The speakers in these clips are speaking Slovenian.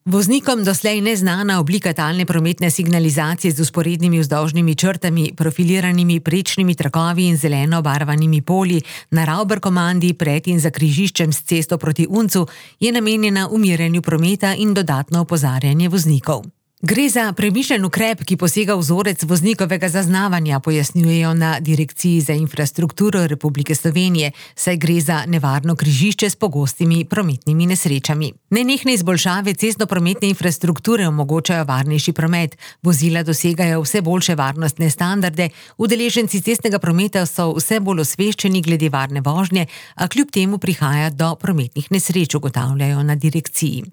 Voznikom doslej neznana oblika talne prometne signalizacije z vzporednimi vzdolžnimi črtami, profiliranimi prečnimi trakovi in zeleno obarvanimi polji na Ravber-komandi pred in za križiščem s cesto proti Uncu je namenjena umirjanju prometa in dodatno opozarjanje voznikov. Gre za premišljen ukrep, ki posega v vzorec voznikovega zaznavanja, pojasnjujejo na Direkciji za infrastrukturo Republike Slovenije, saj gre za nevarno križišče s pogostimi prometnimi nesrečami. Nenehne izboljšave cestnoprometne infrastrukture omogočajo varnejši promet, vozila dosegajo vse boljše varnostne standarde, udeleženci cestnega prometa so vse bolj osveščeni glede varne vožnje, a kljub temu prihaja do prometnih nesreč, ugotavljajo na direkciji.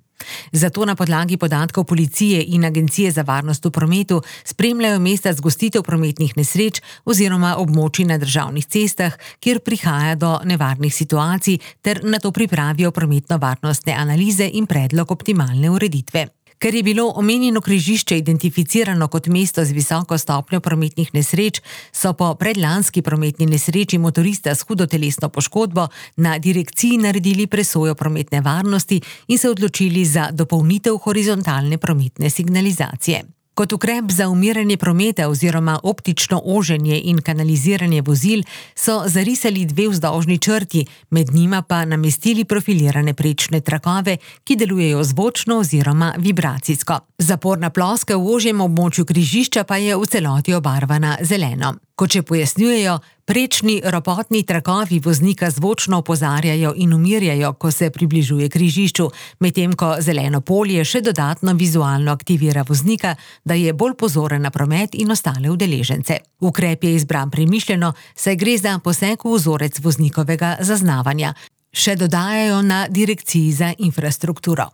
Zato na podlagi podatkov policije in Agencije za varnost v prometu spremljajo mesta zgostitev prometnih nesreč oziroma območij na državnih cestah, kjer prihaja do nevarnih situacij, ter nato pripravijo prometno-varnostne analize in predlog optimalne ureditve. Ker je bilo omenjeno križišče identificirano kot mesto z visoko stopnjo prometnih nesreč, so po predlanski prometni nesreči motorista s hudo telesno poškodbo na direkciji naredili presojo prometne varnosti in se odločili za dopolnitev horizontalne prometne signalizacije. Kot ukrep za umirjanje prometa oziroma optično oženje in kanaliziranje vozil so zarisali 2 vzdolžni črti, med njima pa namestili profilirane prečne trakove, ki delujejo zvočno oziroma vibracijsko. Zaporna ploska v ožjem območju križišča pa je v celoti obarvana zeleno. Kot še pojasnjujejo, prečni ropotni trakovi voznika zvočno opozarjajo in umirjajo, ko se približuje križišču, medtem ko zeleno polje še dodatno vizualno aktivira voznika, da je bolj pozoren na promet in ostale udeležence. Ukrep je izbran premišljeno, saj gre za poseg v vzorec voznikovega zaznavanja, še dodajajo na Direkciji za infrastrukturo.